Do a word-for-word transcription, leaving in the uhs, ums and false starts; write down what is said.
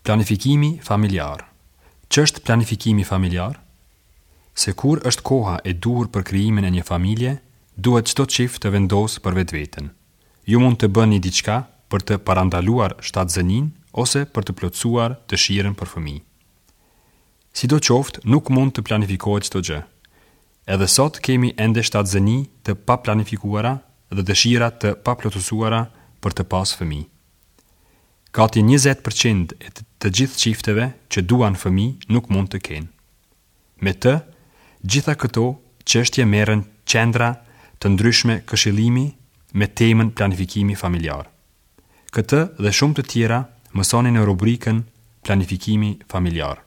Planifikimi familjar. Ç'është planifikimi familjar? Se kur është koha e duhur për krijimin e një familje, duhet çdo çift të vendosë për vetveten. Ju mund të bëni diçka për të parandaluar shtatzëninë ose për të plotësuar dëshirën për fëmijë. Sidoqoftë, nuk mund të planifikohet çdo gjë. Edhe sot kemi ende shtatzëni të paplanifikuara dhe dëshira të paplotësuara për të pas fëmijë. Gati njëzet përqind e të gjithë çifteve që duan fëmijë nuk mund të kenë. Me të gjitha këto çështje merren qendra të ndryshme këshillimi me temën planifikimi familjar. Këtë dhe shumë të tjera mësoni në rubrikën Planifikimi familjar.